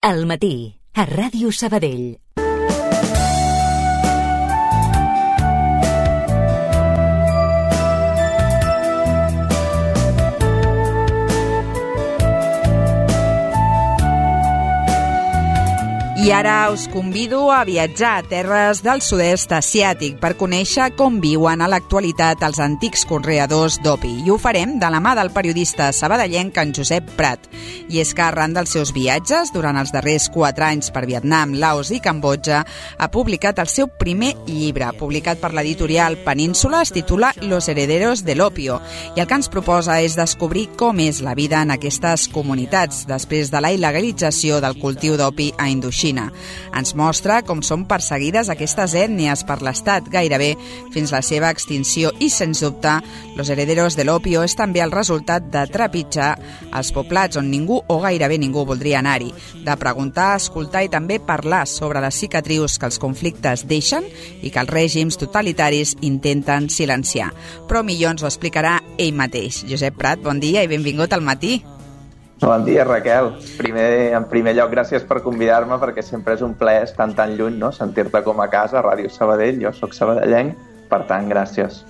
Al matí, a Ràdio Sabadell. I ara us convido a viatjar a terres del sud-est asiàtic per conèixer com viuen a l'actualitat els antics conreadors d'opi. I ho farem de la mà del periodista sabadellenc en Josep Prat. I és que arran dels seus viatges, durant els darrers 4 anys per Vietnam, Laos i Cambodja, ha publicat el seu primer llibre, publicat per l'editorial Península, es titula Los herederos del opio. I el que ens proposa és descobrir com és la vida en aquestes comunitats després de la il·legalització del cultiu d'opi a Indoxina. Ens mostra com són perseguides aquestes ètnies per l'Estat gairebé fins la seva extinció i, sens dubte, Los herederos del opio és també el resultat de trepitjar els poblats on ningú o gairebé ningú voldria anar-hi, de preguntar, escoltar i també parlar sobre les cicatrius que els conflictes deixen i que els règims totalitaris intenten silenciar. Però millor ens ho explicarà ell mateix. Josep Prat, bon dia i benvingut al matí. Bon dia, Raquel. En primer lloc, gràcies per convidar-me, perquè sempre és un plaer estar tan lluny, no? Sentir-te com a casa, a Ràdio Sabadell. Jo sóc sabadellenc, per tant, gràcies.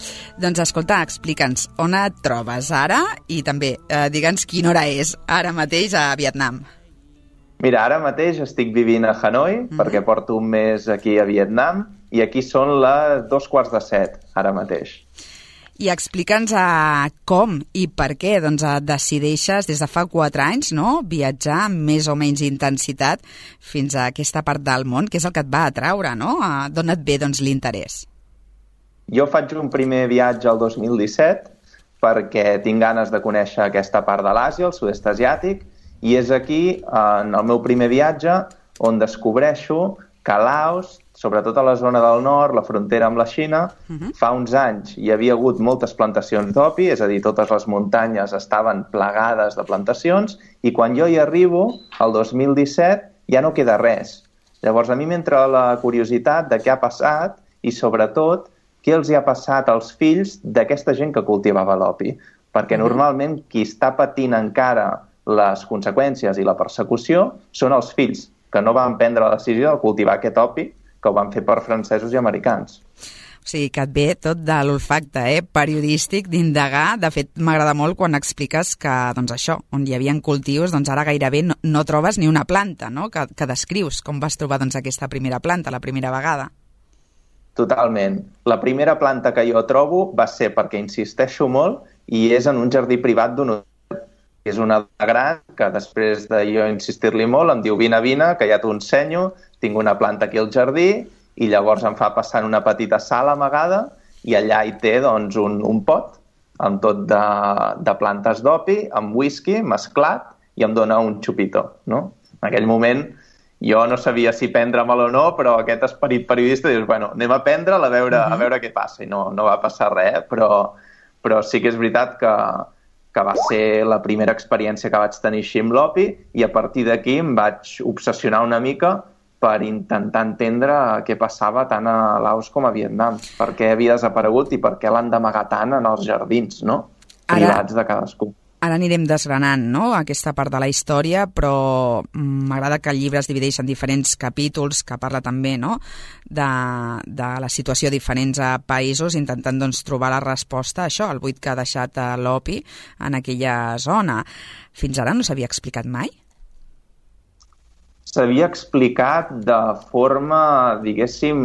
Doncs escolta, explica'ns on et trobes ara i també digue'ns quina hora és ara mateix a Vietnam. Mira, ara mateix estic vivint a Hanoi, perquè porto un mes aquí a Vietnam, i aquí són les 6:45, ara mateix. I explica'ns com i per què decideixes des de fa 4 anys viatjar amb més o menys intensitat fins a aquesta part del món, que és el que et va atraure, no? D'on et ve l'interès? Jo faig un primer viatge el 2017 perquè tinc ganes de conèixer aquesta part de l'Àsia, el sud-est asiàtic, i és aquí, en el meu primer viatge, on descobreixo que Laos, sobretot a la zona del nord, la frontera amb la Xina, fa uns anys hi havia hagut moltes plantacions d'opi, és a dir, totes les muntanyes estaven plagades de plantacions, i quan jo hi arribo, el 2017, ja no queda res. Llavors, a mi m'entra la curiositat de què ha passat i, sobretot, què els hi ha passat als fills d'aquesta gent que cultivava l'opi. Perquè normalment qui està patint encara les conseqüències i la persecució són els fills, que no van prendre la decisió de cultivar aquest opi, que ho van fer per francesos i americans. O sigui, que et ve tot de l'olfacte periodístic d'indagar. De fet, m'agrada molt quan expliques que, això, on hi havia cultius, ara gairebé no trobes ni una planta, no? Que descrius com vas trobar aquesta primera planta, la primera vegada. Totalment. La primera planta que jo trobo va ser perquè insisteixo molt i és en un jardí privat d'un hotel. És una gran que després de jo insistir-li molt em diu vine, que ja t'ho ensenyo, tinc una planta aquí al jardí, i llavors em fa passar en una petita sala amagada i allà hi té un pot amb tot de plantes d'opi, amb whisky mesclat, i em dona un xupito, no? En aquell moment jo no sabia si prendre-me'l o no, però aquest esperit periodista dius, bueno, anem a prendre'l a veure què passa, i no va passar res, però sí que és veritat que va ser la primera experiència que vaig tenir així amb l'opi, i a partir d'aquí em vaig obsessionar una mica per intentar entendre què passava tant a Laos com a Vietnam, per què havia desaparegut i per què l'han d'amagar tant en els jardins, no? Privats de cadascú. Ara anirem desgranant, aquesta part de la història, però m'agrada que el llibre es divideix en diferents capítols, que parla també, de la situació a diferents països, intentant trobar la resposta a això, al buit que ha deixat l'opi en aquella zona. Fins ara no s'havia explicat mai? S'havia explicat de forma, diguéssim,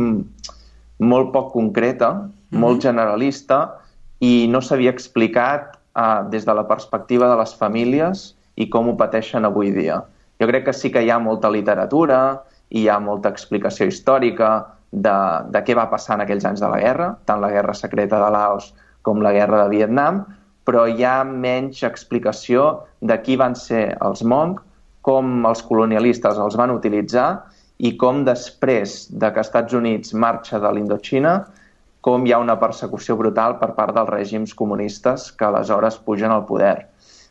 molt poc concreta, molt generalista, i no s'havia explicat des de la perspectiva de les famílies i com ho pateixen avui dia. Jo crec que sí que hi ha molta literatura i hi ha molta explicació històrica de què va passar en aquells anys de la guerra, tant la guerra secreta de Laos com la guerra de Vietnam, però hi ha menys explicació de qui van ser els Hmong, com els colonialistes els van utilitzar i com després de que Estats Units marxa de l'Indoxina, com hi ha una persecució brutal per part dels règims comunistes que aleshores pugen al poder.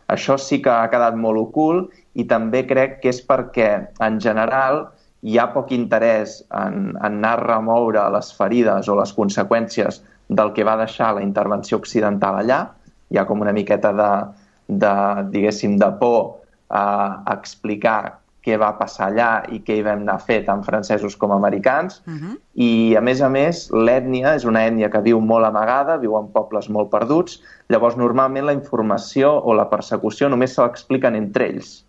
Això sí que ha quedat molt ocult, i també crec que és perquè, en general, hi ha poc interès en anar a remoure les ferides o les conseqüències del que va deixar la intervenció occidental allà. Hi ha com una miqueta de por a explicar què va passar allà i què hi vam anar a fer tant francesos com americans. I, a més, l'ètnia és una ètnia que viu molt amagada, viu en pobles molt perduts. Llavors, normalment la informació o la persecució només se l'expliquen entre ells.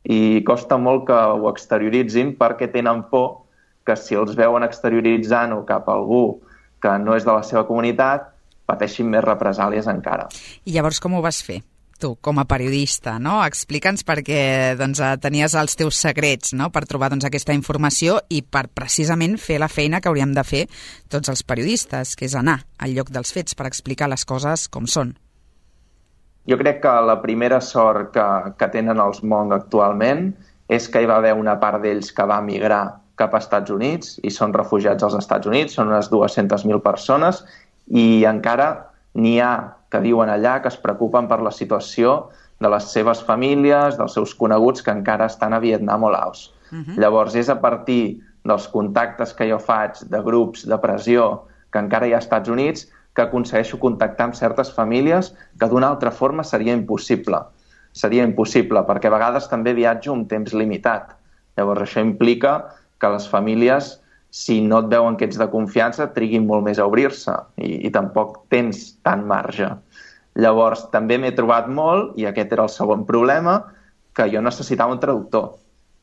I costa molt que ho exterioritzin perquè tenen por que si els veuen exterioritzant-ho cap a algú que no és de la seva comunitat, pateixin més represàlies encara. I llavors com ho vas fer? Tu, com a periodista, no? Explica'ns perquè tenies els teus secrets, no?, per trobar aquesta informació i per precisament fer la feina que hauríem de fer tots els periodistes, que és anar al lloc dels fets per explicar les coses com són. Jo crec que la primera sort que tenen els Hmong actualment és que hi va haver una part d'ells que va migrar cap als Estats Units i són refugiats als Estats Units, són unes 200.000 persones i encara n'hi ha que viuen allà, que es preocupen per la situació de les seves famílies, dels seus coneguts que encara estan a Vietnam o Laos. Llavors, és a partir dels contactes que jo faig de grups de pressió que encara hi ha als Estats Units que aconsegueixo contactar amb certes famílies que d'una altra forma seria impossible. Seria impossible, perquè a vegades també viatjo un temps limitat. Llavors, això implica que les famílies, si no et veuen que ets de confiança, triguin molt més a obrir-se i tampoc tens tant marge. Llavors, també m'he trobat molt, i aquest era el segon problema, que jo necessitava un traductor.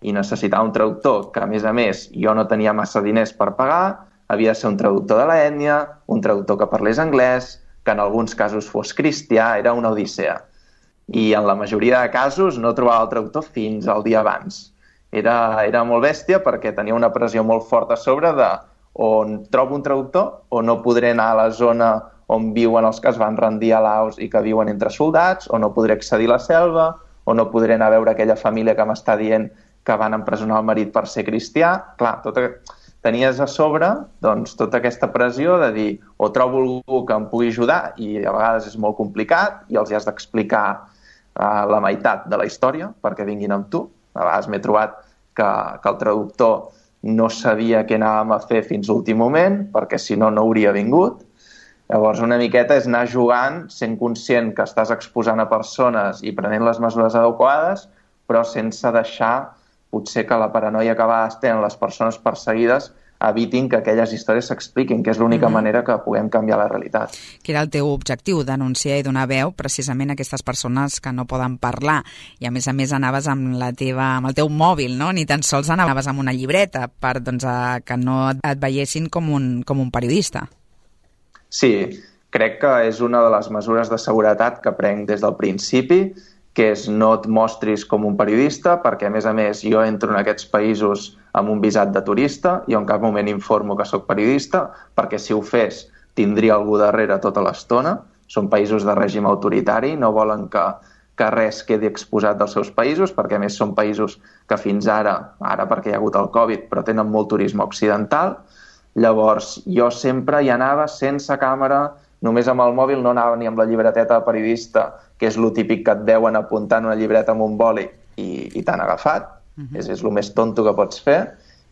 I necessitava un traductor que, a més, jo no tenia massa diners per pagar, havia de ser un traductor de l'ètnia, un traductor que parlés anglès, que en alguns casos fos cristià, era una odissea. I en la majoria de casos no trobava el traductor fins al dia abans. Era molt bèstia perquè tenia una pressió molt forta a sobre de on trobo un traductor o no podré anar a la zona on viuen els que es van rendir a Laos i que viuen entre soldats, o no podré accedir a la selva, o no podré anar a veure aquella família que m'està dient que van empresonar el marit per ser cristià. Clar, tenies a sobre tota aquesta pressió de dir o trobo algú que em pugui ajudar i a vegades és molt complicat i els has d'explicar la meitat de la història perquè vinguin amb tu. A vegades m'he trobat que el traductor no sabia què anàvem a fer fins l'últim moment, perquè si no, no hauria vingut. Llavors, una miqueta és anar jugant, sent conscient que estàs exposant a persones i prenent les mesures adequades, però sense deixar, potser, que la paranoia que a vegades tenen les persones perseguides evitin que aquelles històries s'expliquin, que és l'única manera que puguem canviar la realitat. Que era el teu objectiu, denunciar i donar veu precisament a aquestes persones que no poden parlar. I a més anaves amb el teu mòbil, no? Ni tan sols anaves amb una llibreta per que no et veiessin com un periodista. Sí, crec que és una de les mesures de seguretat que prenc des del principi, que és no et mostris com un periodista, perquè, a més, jo entro en aquests països amb un visat de turista i en cap moment informo que sóc periodista, perquè si ho fes tindria algú darrere tota l'estona. Són països de règim autoritari, no volen que res quedi exposat dels seus països, perquè, a més, són països que fins ara perquè hi ha hagut el Covid, però tenen molt turisme occidental. Llavors, jo sempre hi anava sense càmera, només amb el mòbil, no anava ni amb la llibreteta de periodista, que és lo típic que et veuen apuntant una llibreta amb un boli i t'han agafat. És el més tonto que pots fer.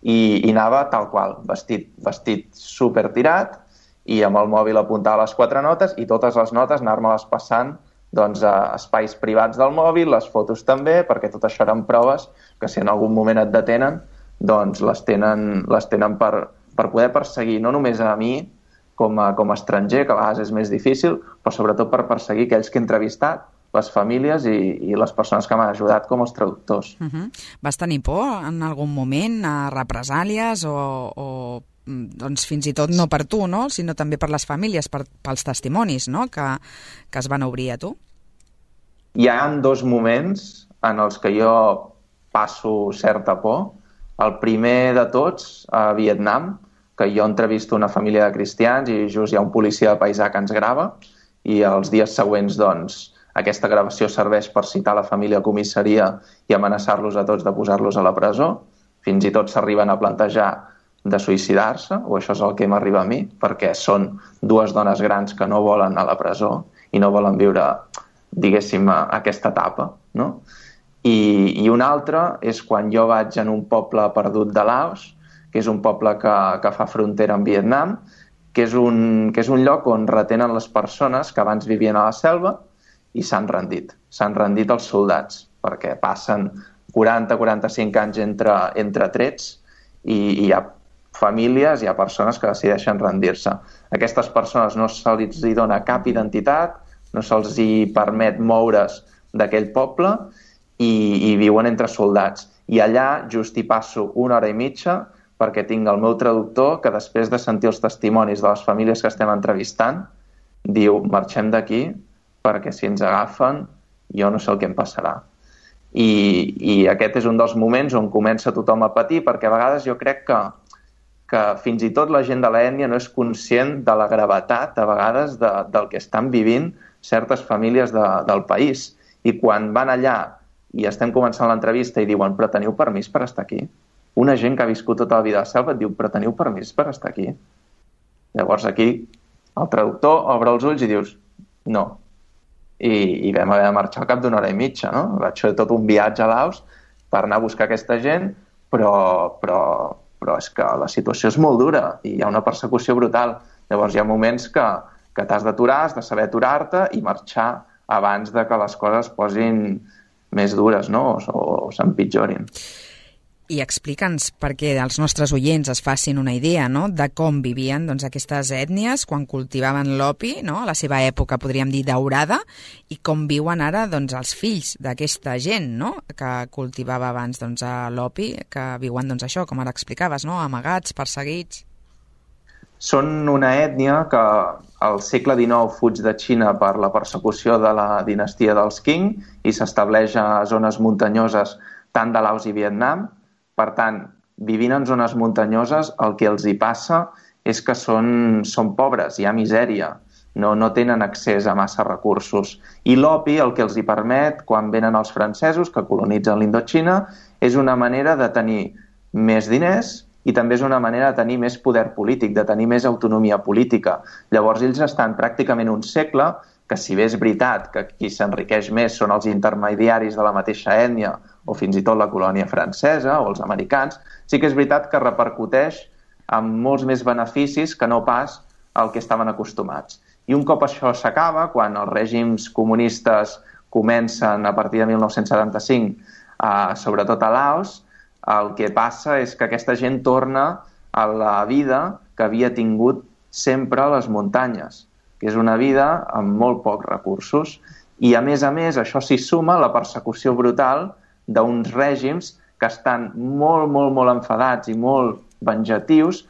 I anava tal qual, vestit super tirat, i amb el mòbil apuntava les 4 notes i totes les notes anar-me-les passant a espais privats del mòbil, les fotos també, perquè tot això eren proves que si en algun moment et detenen, les tenen per poder perseguir no només a mi com a estranger, que a vegades és més difícil, però sobretot per perseguir aquells que he entrevistat, les famílies i les persones que m'han ajudat com els traductors. Vas tenir por en algun moment a represàlies o fins i tot no per tu, no? Sinó també per les famílies, pels testimonis, no? que es van obrir a tu? Hi ha 2 moments en els que jo passo certa por. El primer de tots, a Vietnam, que jo entrevisto una família de cristians i just hi ha un policia de paisà que ens grava i els dies següents, aquesta gravació serveix per citar la família a comissaria i amenaçar-los a tots de posar-los a la presó. Fins i tot s'arriben a plantejar de suïcidar-se, o això és el que m'arriba a mi, perquè són 2 dones grans que no volen anar a la presó i no volen viure, diguéssim, aquesta etapa, no? I un altre és quan jo vaig en un poble perdut de Laos, que és un poble que fa frontera amb Vietnam, que és un lloc on retenen les persones que abans vivien a la selva i s'han rendit. S'han rendit els soldats, perquè passen 40-45 anys entre trets i hi ha famílies, hi ha persones que decideixen rendir-se. Aquestes persones no se'ls dona cap identitat, no se'ls permet moure's d'aquell poble i viuen entre soldats. I allà just hi passo 1 hora i mitja perquè tinc el meu traductor que després de sentir els testimonis de les famílies que estem entrevistant diu, marxem d'aquí perquè si ens agafen jo no sé el que em passarà. I aquest és un dels moments on comença tothom a patir perquè a vegades jo crec que fins i tot la gent de l'ètnia no és conscient de la gravetat a vegades del que estan vivint certes famílies del país. I quan van allà i estem començant l'entrevista i diuen però teniu permís per estar aquí? Una gent que ha viscut tota la vida a la selva et diu però teniu permís per estar aquí? Llavors aquí el traductor obre els ulls i dius no. I vam haver de marxar al cap d'1 hora i mitja, no? Vaig fer tot un viatge a Laos per anar a buscar aquesta gent, però és que la situació és molt dura i hi ha una persecució brutal. Llavors hi ha moments que t'has d'aturar, has de saber aturar-te i marxar abans de que les coses es posin més dures, no? O s'empitjorin. I explica'ns perquè els nostres oients es facin una idea, no?, de com vivien aquestes ètnies quan cultivaven l'opi, no?, a la seva època, podríem dir, daurada, i com viuen ara els fills d'aquesta gent, no?, que cultivava abans l'opi, que viuen això, com ara explicaves, no?, amagats, perseguits. Són una ètnia que al segle XIX fuig de Xina per la persecució de la dinastia dels Qing i s'estableix a zones muntanyoses tant de Laos i Vietnam. Per tant, vivint en zones muntanyoses, el que els hi passa és que són pobres, hi ha misèria, no tenen accés a massa recursos. I l'opi el que els hi permet, quan venen els francesos que colonitzen l'Indoxina, és una manera de tenir més diners i també és una manera de tenir més poder polític, de tenir més autonomia política. Llavors ells estan pràcticament un segle que si bé és veritat que qui s'enriqueix més són els intermediaris de la mateixa ètnia o fins i tot la colònia francesa o els americans, sí que és veritat que repercuteix amb molts més beneficis que no pas al que estaven acostumats. I un cop això s'acaba, quan els règims comunistes comencen a partir de 1975, sobretot a Laos, el que passa és que aquesta gent torna a la vida que havia tingut sempre a les muntanyes, que és una vida amb molt pocs recursos. I, a més, això s'hi suma la persecució brutal d'uns règims que estan molt, molt, molt enfadats i molt venjatius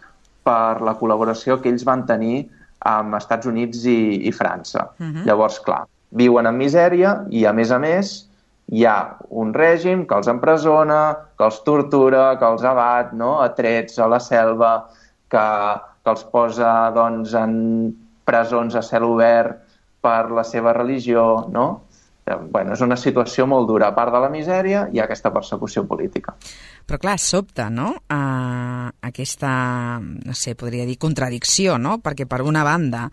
per la col·laboració que ells van tenir amb Estats Units i França. Llavors, clar, viuen en misèria i, a més, hi ha un règim que els empresona, que els tortura, que els abat, no?, a trets a la selva, que els posa en presons a cel obert per la seva religió, no? Bueno, és una situació molt dura. A part de la misèria, hi ha aquesta persecució política. Però clar, sobta, no?, aquesta, no sé, podria dir contradicció, no?, perquè per una banda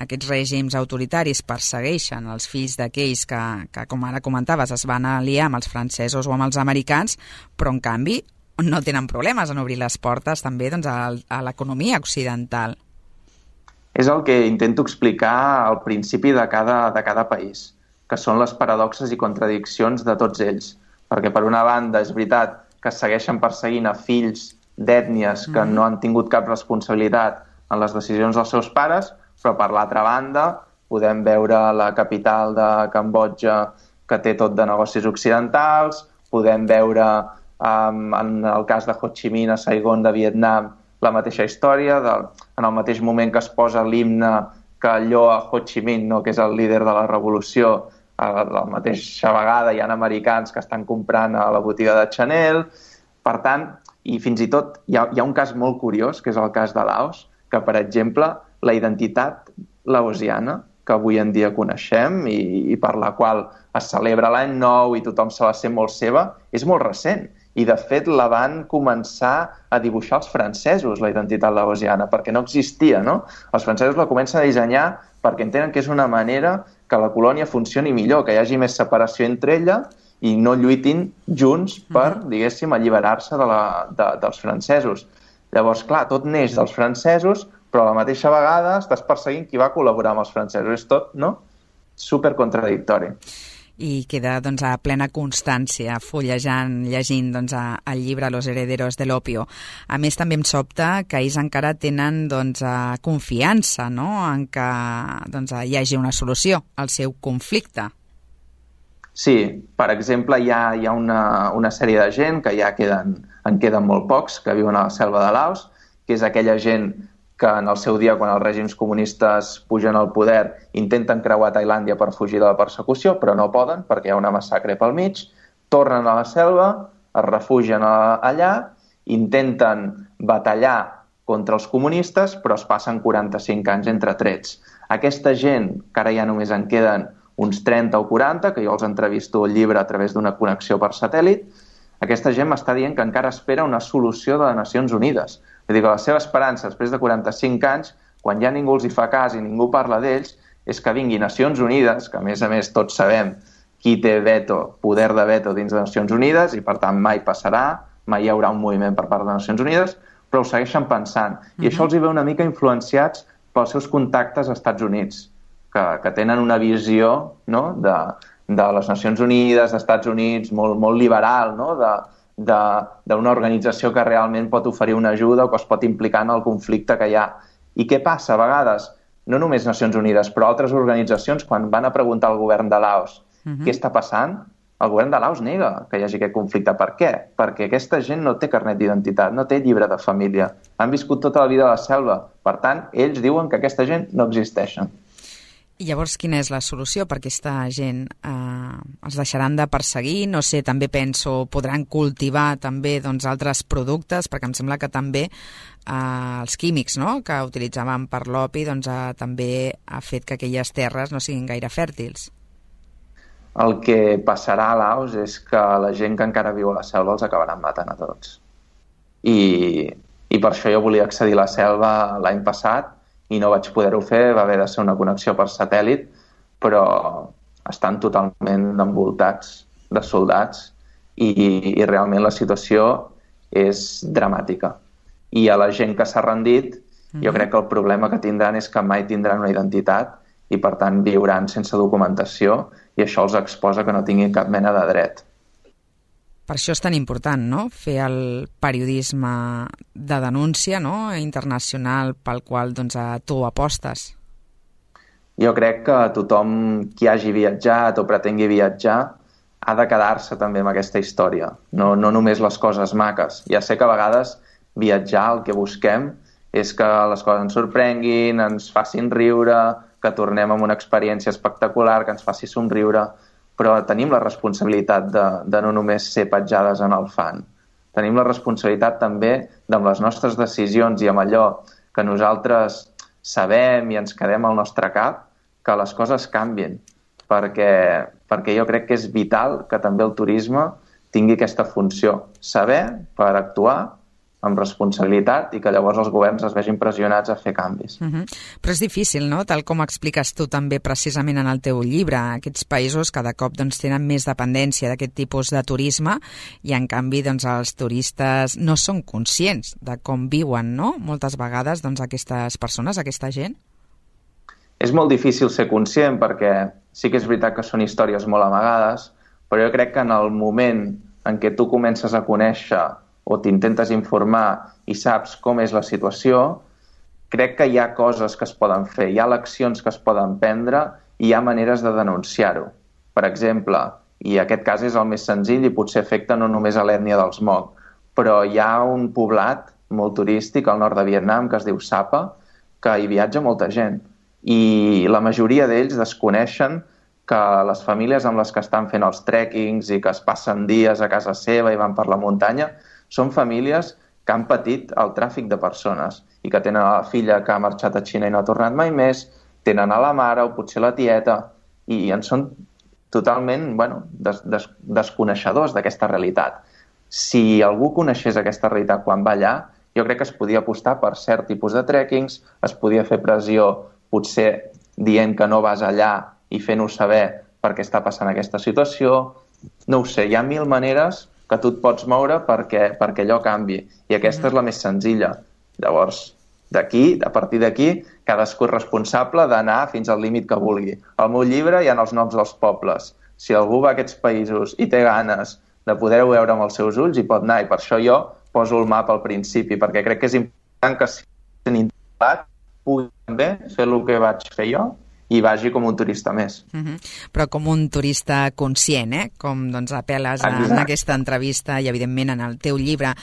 aquests règims autoritaris persegueixen els fills d'aquells que, com ara comentaves, es van aliar amb els francesos o amb els americans, però en canvi no tenen problemes en obrir les portes també a l'economia occidental. És el que intento explicar al principi de cada país, que són les paradoxes i contradiccions de tots ells. Perquè per una banda és veritat que segueixen perseguint a fills d'ètnies que no han tingut cap responsabilitat en les decisions dels seus pares, però per l'altra banda podem veure la capital de Cambodja que té tot de negocis occidentals, podem veure en el cas de Ho Chi Minh a Saigon de Vietnam la mateixa història, en el mateix moment que es posa l'himne que lloa Ho Chi Minh, no, que és el líder de la revolució, a la mateixa vegada hi ha americans que estan comprant a la botiga de Chanel. Per tant, i fins i tot hi ha un cas molt curiós, que és el cas de Laos, que, per exemple, la identitat laosiana, que avui en dia coneixem i per la qual es celebra l'any nou i tothom se la sent molt seva, és molt recent. I, de fet, la van començar a dibuixar els francesos, la identitat laosiana, perquè no existia, no? Els francesos la comencen a dissenyar perquè entenen que és una manera que la colònia funcioni millor, que hi hagi més separació entre ella i no lluitin junts per, diguéssim, alliberar-se dels francesos. Llavors, clar, tot neix dels francesos, però a la mateixa vegada estàs perseguint qui va col·laborar amb els francesos. És tot, no?, supercontradictori. i queda doncs, a plena constància llegint doncs, el llibre Los herederos del opio. A més, també em sobta que ells encara tenen doncs, confiança, no?, en que doncs, hi hagi una solució al seu conflicte. Sí, per exemple, hi ha una sèrie de gent que ja en queden molt pocs, que viuen a la selva de Laos, que és aquella gent que en el seu dia, quan els règims comunistes pugen al poder, intenten creuar Tailàndia per fugir de la persecució, però no poden perquè hi ha una massacre pel mig, tornen a la selva, es refugien allà, intenten batallar contra els comunistes, però es passen 45 anys entre trets. Aquesta gent, que ara ja només en queden uns 30 o 40, que jo els entrevisto al llibre a través d'una connexió per satèl·lit, aquesta gent m'està dient que encara espera una solució de les Nacions Unides. Vull dir que la seva esperança, després de 45 anys, quan ja ningú els hi fa cas i ningú parla d'ells, és que vingui Nacions Unides, que a més tots sabem qui té poder de veto dins de Nacions Unides, i per tant mai passarà, mai hi haurà un moviment per part de Nacions Unides, però ho segueixen pensant. I això els hi ve una mica influenciats pels seus contactes als Estats Units, que tenen una visió, no?, de les Nacions Unides, dels Estats Units, molt liberal, no?, d'una organització que realment pot oferir una ajuda o que es pot implicar en el conflicte que hi ha. I què passa a vegades? No només Nacions Unides, però altres organitzacions, quan van a preguntar al govern de Laos què està passant, el govern de Laos nega que hi hagi aquest conflicte. Per què? Perquè aquesta gent no té carnet d'identitat, no té llibre de família. Han viscut tota la vida a la selva. Per tant, ells diuen que aquesta gent no existeixen. I llavors, quina és la solució per aquesta gent? Els deixaran de perseguir? No sé, també penso, podran cultivar també doncs, altres productes, perquè em sembla que també els químics, no?, que utilitzaven per l'opi doncs, també ha fet que aquelles terres no siguin gaire fèrtils. El que passarà a Laos és que la gent que encara viu a la selva els acabaran matant a tots. I per això jo volia accedir a la selva l'any passat, i no vaig poder-ho fer, va haver de ser una connexió per satèl·lit, però estan totalment envoltats de soldats i realment la situació és dramàtica. I a la gent que s'ha rendit, jo crec que el problema que tindran és que mai tindran una identitat i per tant viuran sense documentació i això els exposa que no tinguin cap mena de dret. Per això és tan important, no?, fer el periodisme de denúncia, no?, internacional pel qual doncs, tu apostes. Jo crec que tothom qui hagi viatjat o pretengui viatjar ha de quedar-se també amb aquesta història, no només les coses maques. Ja sé que a vegades viatjar el que busquem és que les coses ens sorprenguin, ens facin riure, que tornem amb una experiència espectacular, que ens faci somriure, però tenim la responsabilitat de no només ser petjades en el fang. Tenim la responsabilitat també amb les nostres decisions i amb allò que nosaltres sabem i ens quedem al nostre cap, que les coses canvien, perquè jo crec que és vital que també el turisme tingui aquesta funció, saber per actuar amb responsabilitat i que llavors els governs es vegin pressionats a fer canvis. Però és difícil, no?, tal com expliques tu també precisament en el teu llibre. Aquests països cada cop doncs, tenen més dependència d'aquest tipus de turisme i en canvi doncs, els turistes no són conscients de com viuen, no?, moltes vegades doncs, aquestes persones, aquesta gent. És molt difícil ser conscient perquè sí que és veritat que són històries molt amagades, però jo crec que en el moment en què tu comences a conèixer o t'intentes informar i saps com és la situació, crec que hi ha coses que es poden fer, hi ha eleccions que es poden prendre i hi ha maneres de denunciar-ho. Per exemple, i aquest cas és el més senzill i potser afecta no només a l'ètnia dels Hmong, però hi ha un poblat molt turístic al nord de Vietnam que es diu Sapa, que hi viatja molta gent. I la majoria d'ells desconeixen que les famílies amb les que estan fent els trekkings i que es passen dies a casa seva i van per la muntanya són famílies que han patit el tràfic de persones i que tenen a la filla que ha marxat a Xina i no ha tornat mai més, tenen a la mare o potser la tieta i en són totalment desconeixedors d'aquesta realitat. Si algú coneixés aquesta realitat quan va allà, jo crec que es podia apostar per cert tipus de trekkings, es podia fer pressió potser dient que no vas allà i fent-ho saber per què està passant aquesta situació. No ho sé, hi ha mil maneres que tu et pots moure perquè allò canvi. I aquesta és la més senzilla. Llavors, a partir d'aquí, cadascú és responsable d'anar fins al límit que vulgui. Al meu llibre hi ha els noms dels pobles. si algú va a aquests països i té ganes de poder-ho veure amb els seus ulls, hi pot anar, i per això jo poso el mapa al principi, perquè crec que és important que si tenim interesat pugui també fer el que vaig fer jo i vagi com un turista més. Però com un turista conscient, com doncs apel·les en aquesta entrevista i evidentment en el teu llibre.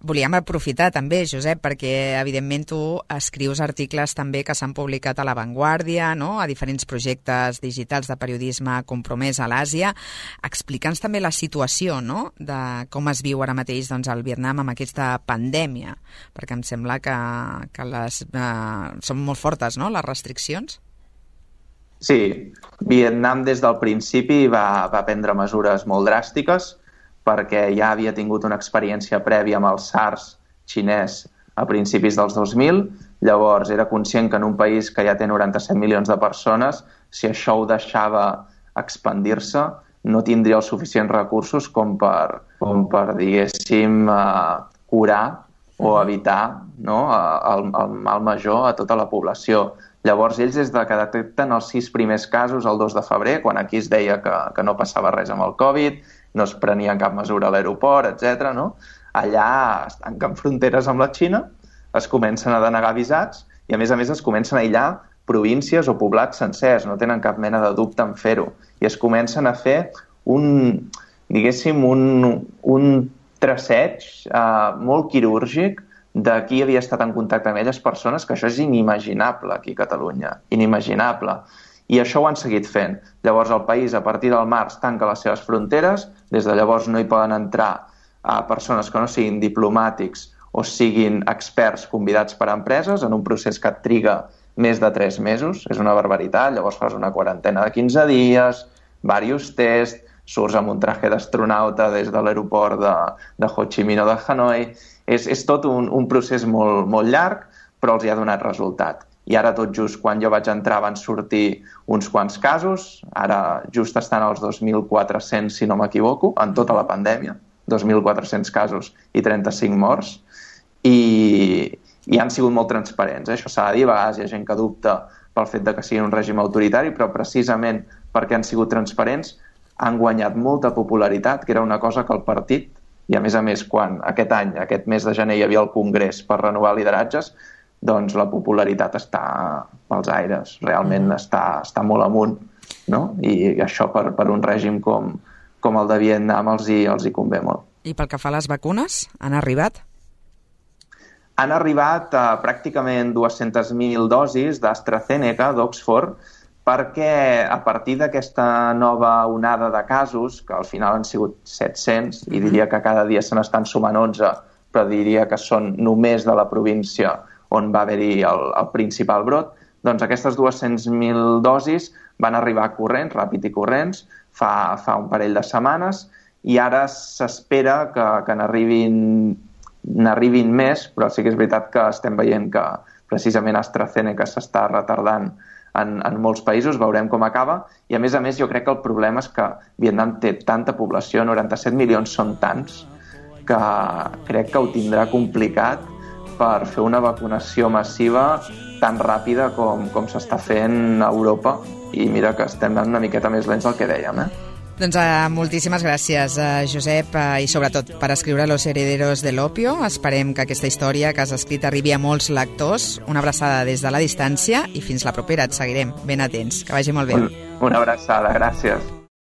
Volíem aprofitar també, Josep, perquè evidentment tu escrius articles també que s'han publicat a La Vanguardia, no? A diferents projectes digitals de periodisme compromès a l'Àsia. Explica'ns també la situació, no? De com es viu ara mateix doncs, al Vietnam amb aquesta pandèmia, perquè em sembla que són molt fortes, no?, les restriccions. Sí, Vietnam des del principi va prendre mesures molt dràstiques perquè ja havia tingut una experiència prèvia amb el SARS xinès a principis dels 2000, llavors era conscient que en un país que ja té 97 milions de persones, si això ho deixava expandir-se, no tindria els suficients recursos com per diguéssim, curar o evitar, no, el mal major a tota la població. Llavors, ells, des que detecten els 6 primers casos el 2 de febrer, quan aquí es deia que no passava res amb el Covid, no es prenia cap mesura a l'aeroport, etc., no? Allà es tanquen fronteres amb la Xina, es comencen a denegar visats i, a més, es comencen a aïllar províncies o poblats sencers, no tenen cap mena de dubte en fer-ho. I es comencen a fer un traceig molt quirúrgic de qui havia estat en contacte amb elles persones, que això és inimaginable aquí a Catalunya, inimaginable. I això ho han seguit fent. Llavors el país, a partir del març, tanca les seves fronteres, des de llavors no hi poden entrar persones que no siguin diplomàtics o siguin experts convidats per empreses en un procés que et triga més de 3 mesos, és una barbaritat, llavors fas una quarantena de 15 dies, diversos tests, surts amb un traje d'astronauta des de l'aeroport de Ho Chi Minh o de Hanoi. És tot un procés molt, molt llarg, però els hi ha donat resultat. I ara, tot just quan jo vaig entrar, van sortir uns quants casos. Ara just estan als 2.400, si no m'equivoco, en tota la pandèmia. 2.400 casos i 35 morts. I han sigut molt transparents. Això s'ha de dir, a vegades hi ha gent que dubta pel fet de que sigui un règim autoritari, però precisament perquè han sigut transparents han guanyat molta popularitat, que era una cosa que el partit, i a més, quan aquest mes de gener hi havia el Congrés per renovar lideratges, doncs la popularitat està pels aires, realment està molt amunt, no? I això per un règim com el de Vietnam els hi convé molt. I pel que fa a les vacunes, han arribat? Han arribat pràcticament 200.000 dosis d'AstraZeneca, d'Oxford, perquè a partir d'aquesta nova onada de casos, que al final han sigut 700, i diria que cada dia se n'estan sumant 11, però diria que són només de la província on va haver-hi el principal brot, doncs aquestes 200.000 dosis van arribar corrents, ràpid i corrents, fa un parell de setmanes, i ara s'espera que n'arribin més, però sí que és veritat que estem veient que precisament AstraZeneca s'està retardant en molts països, veurem com acaba, i a més jo crec que el problema és que Vietnam té tanta població, 97 milions són tants, que crec que ho tindrà complicat per fer una vacunació massiva tan ràpida com s'està fent a Europa, i mira que estem anant una miqueta més lents del que dèiem, Doncs moltíssimes gràcies, Josep, i sobretot per escriure Los herederos del opio. Esperem que aquesta història que has escrit arribi a molts lectors. Una abraçada des de la distància i fins la propera. Et seguirem ben atents. Que vagi molt bé. Una abraçada, gràcies.